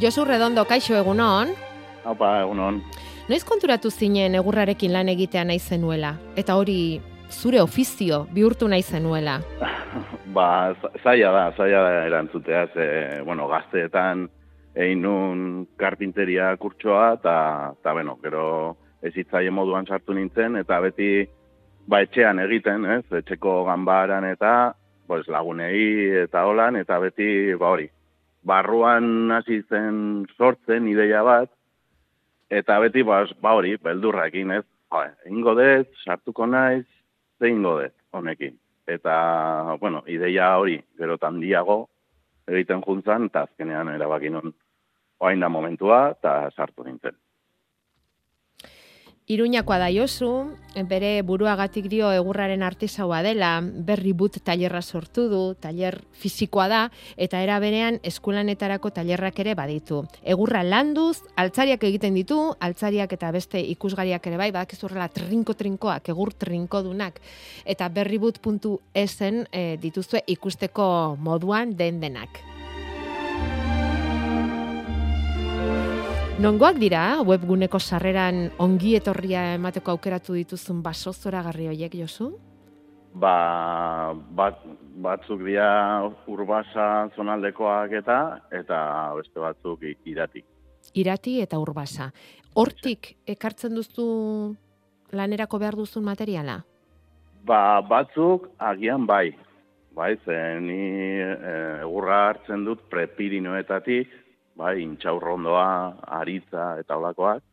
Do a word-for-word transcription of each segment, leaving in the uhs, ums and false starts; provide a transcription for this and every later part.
Josu Redondo, kaixo egunon. Haupa, egunon. Noiz konturatu zinen egurrarekin lan egitea nahi zenuela? Eta hori zure ofizio bihurtu nahi zenuela? Ba, zaila da, zaila da erantzutea, ze, bueno, gazteetan egin nun karpinteria kurtsoa, eta, eta, bueno, gero ez hitzaien moduan sartu nintzen, eta beti, ba, etxean egiten, ez, etxeko ganbaran eta, pues, lagunei eta holan, eta beti, ba, hori, barruan hasi zen sortzen ideia bat, eta beti, ba, ba hori, beldurrakin, ez, ba, ingo dut, sartuko naiz, ze ingo dut, honekin. Eta, bueno, ideia hori, gero handiago egiten juntzan, eta azkenean erabaki non oain da momentua, eta sartu nintzen. Iruñakoa da Josu, bere buruagatik dio egurraren artisaua dela, berri but tailerra sortu du, tailer fisikoa da, eta era berean eskulanetarako tailerrak ere baditu. Egurra landuz, altzariak egiten ditu, altzariak eta beste ikusgariak ere bai, badakizu horrela trinko-trinkoak, egur trinkodunak, eta berribut puntu esen e, dituzue ikusteko moduan den denak. Nongoak dira, webguneko sarreran ongi etorria emateko aukeratu dituzun baso zoragarri horiek, Josu? Ba, bat, batzuk dira Urbasa zonaldekoak eta, eta beste batzuk Irati. Irati eta Urbasa. Hortik ekartzen duzu lanerako behar duzun materiala? Ba, batzuk agian bai. Bai, zen ni egurra hartzen dut prepirinoetatik, bai, intxaurrondoa, aritza eta holakoak.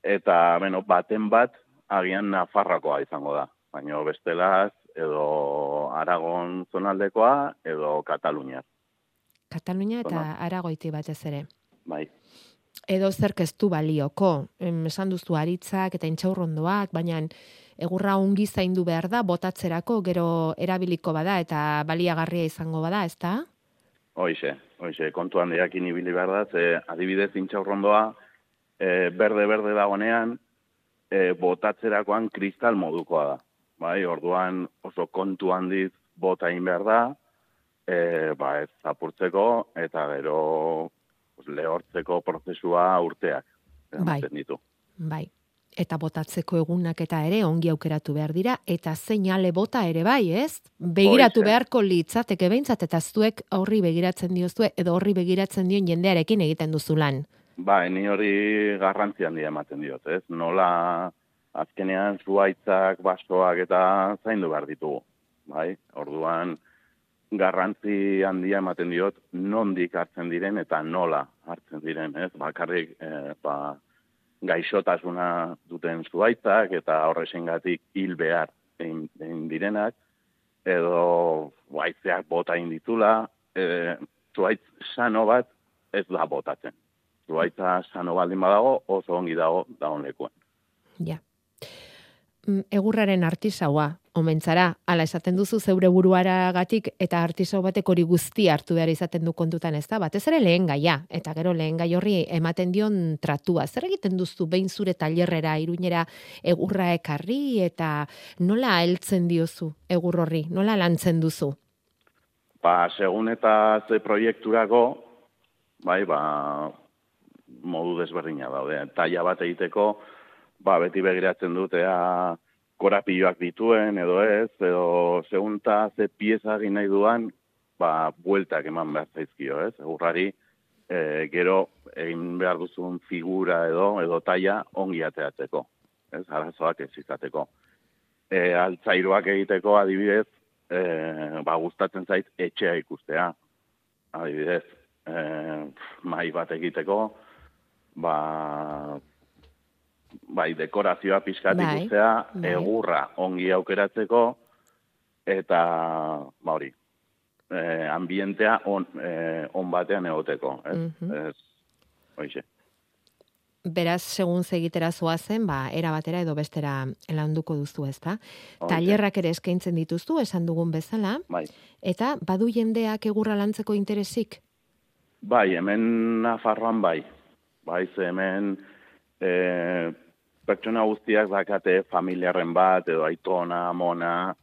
Eta, bueno, baten bat, agian Nafarrokoa izango da. Baina bestelaz, edo Aragon zonaldekoa, edo Katalunia. Katalunia eta Zonal. Aragoiti batez ere. Bai. Edo zerk ez du balioko. Esan duzu aritzak eta intxaurrondoak, baina egurra ongi zaindu behar da, botatzerako, gero erabiliko bada eta baliagarria izango bada, ez da? Hoize, hoize, kontu handiakin ibili behar da, ze adibidez intxaurrondoa, e, berde-berde dagonean, e, botatzerakoan kristal modukoa da. Bai, orduan oso kontu handiz bota egin behar da, e, ba ez zapurtzeko, eta gero pues, lehortzeko prozesua urteak. Bai, ditu. Bai. Eta botatzeko egunak eta ere ongi aukeratu behar dira, eta seinale bota ere bai, ez? Begiratu Oize. Beharko litzateke behintzat, eta zuek horri begiratzen diozue, edo horri begiratzen dion jendearekin egiten duzu lan. Ba, ni hori garrantzi handia ematen diot, ez? Nola azkenean zuaitzak, basoak eta zaindu behar ditugu. Bai, orduan garrantzi handia ematen diot, nondik hartzen diren eta nola hartzen diren, ez? Bakarrik, eh, ba, gaixotasuna duten zuaitzak eta horrezengatik hil behar egin, egin direnak, edo zuaitzeak bota egin ditula, e, zuaitz sano bat ez da botatzen. Zuaitza sano baldin badago, oso ongi dago dagoen lekuan. Ja. Egurraren artisaua, omentzara, ala esaten duzu zeure buruaragatik eta artisau batek hori guzti hartu behar izaten du kontutan, ez da? Batez ere lehen gaia, eta gero lehen gai horri ematen dion tratua. Zer egiten duzu behin zure tailerrera, Iruñera egurra ekarri, eta nola heltzen diozu egur horri? Nola lantzen duzu? Ba, segun eta ze proiekturako, bai, ba, modu desberdina daude. Taila bat egiteko, ba, beti begiratzen dut, ea korapilloak dituen, edo ez, edo segunta ze pieza egin nahi duan, ba, bueltak eman behar zaizkio, ez? Egurrari, e, gero egin behar duzun figura edo, edo taila ongi ateatzeko, ez? Arazoak ez izateko. E, altzairuak egiteko, adibidez, e, ba, gustatzen zait etxea ikustea, adibidez, e, mai bat egiteko, ba, bai, dekorazioa pixkat ikustea, bai. Egurra ongi aukeratzeko, eta, ba hori, eh, ambientea on, eh, on batean egoteko. Ez, mm-hmm. ez, oixe. Beraz, segun zegitera zoazen, ba, era batera edo bestera landuko duzu, ezta? Tailerrak ere eskaintzen dituztu, esan dugun bezala, bai. Eta badu jendeak egurra lantzeko interesik? Bai, hemen Nafarroan bai. Bai, ze hemen E, pertsona guztiak dakate familiarren bat, edo aitona, amona,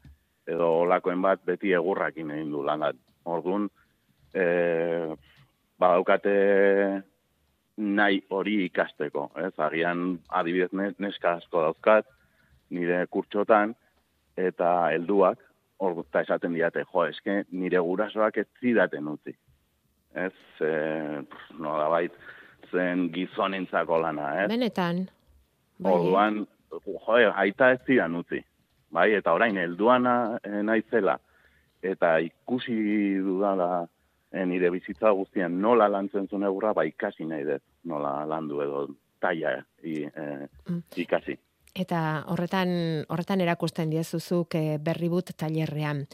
edo olakoen bat beti egurrakin egin du lanat. Orduan, e, badaukate nahi hori ikasteko, ez? Agian adibidez neska asko dauzkat, nire kurtsotan, eta helduak, hor eta esaten diate, jo, eske nire gurasoak ez zidaten utzi. Ez, e, no da bait, zen gizonentzako lana, ez? Benetan. Bai. Orduan, jo, aita ez zidan utzi. Bai, eta orain helduana e, naizela, eta ikusi dudala e, nire bizitza guztian nola lantzen zuen egurra, ba ikasi nahi dut, nola landu edo taia i, e, mm. ikasi. Eta horretan horretan erakusten diezuzuk e, Berribut tailerrean.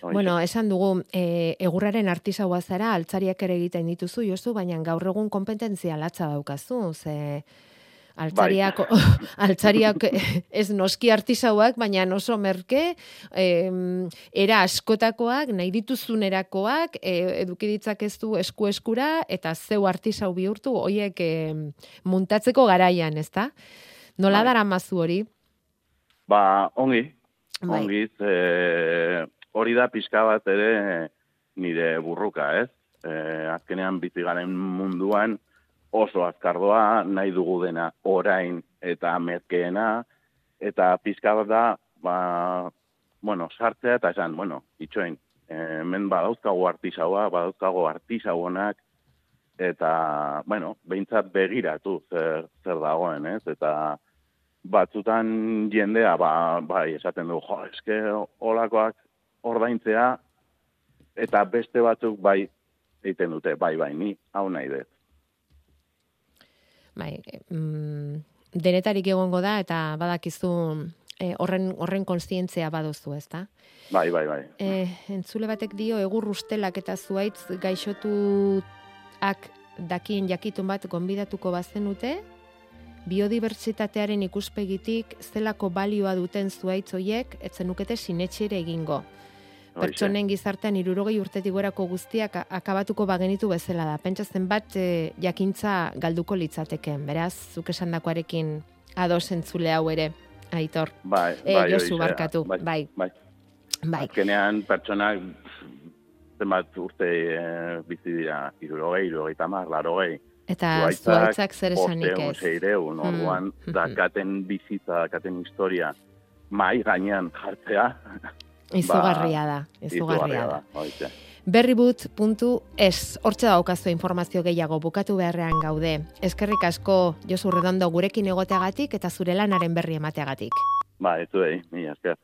Oixe. Bueno, esan dugu, e, egurraren artisaua zara, altzariak ere egiten dituzu, Josu, baina gaur egun kompetentzia latza daukazu, ze altzariak, bai. altzariak ez noski artisauak, baina oso merke, eh, era askotakoak, nahi dituzunerakoak, eh, eduki ditzakezu esku-eskura, eta zeu artisau bihurtu, hoiek eh, muntatzeko garaian, ezta? Nola bai. Daramazu hori? Ba, ongi, bai. ongi, e, hori da pixka bat ere nire burruka, ez? E, azkenean bizigaren munduan oso azkardoa, nahi dugu dena orain eta merkeena, eta pixka bat da, ba, bueno, sartzea eta esan, bueno, itxoin, hemen badauzkago artisaua, badauzkago artisauonak, eta, bueno, behintzat begiratu zer, zer dagoen, ez? Eta batzutan jendea, ba, bai, esaten du, jo, eske olakoak ordaintzea, eta beste batzuk bai egiten dute, bai, bai, ni hau nahi dut. Bai, mm, denetarik egongo da, eta badakizu eh, horren, horren konstientzia baduzu, ezta? Bai, bai, bai. Eh, entzule batek dio, egur ustelak eta zuaitz gaixotuak dakien jakitun bat gonbidatuko bazenute, biodibertsitatearen ikuspegitik zelako balioa duten zuaitz hoiek etzenukete sinetxire egingo. Pertsonen gizartean hirurogei urtetik gorako guztiak akabatuko bagenitu bezala da. Pentsa zenbat e, jakintza galduko litzateken. Beraz, zuk esandakoarekin ados entzule hau ere, Aitor. Bai, e, bai, Josu bai, barkatu. Bai, bai. bai. bai. Azkenean pertsonak zenbat urte e, bizi dira, hirurogei, hirurogei tamar, larogei. Eta zuaitzak zer esanik ez. Seireun, orduan, mm. dakaten bizitza, dakaten historia, mai gainean jartzea. Izugarria da, izugarria da. da. Berribut puntu es, hortxe daukazu informazio gehiago, bukatu beharrean gaude. Eskerrik asko, Josu Redondo, gurekin egoteagatik eta zure lanaren berri emateagatik. Ba, ez du, mila esker.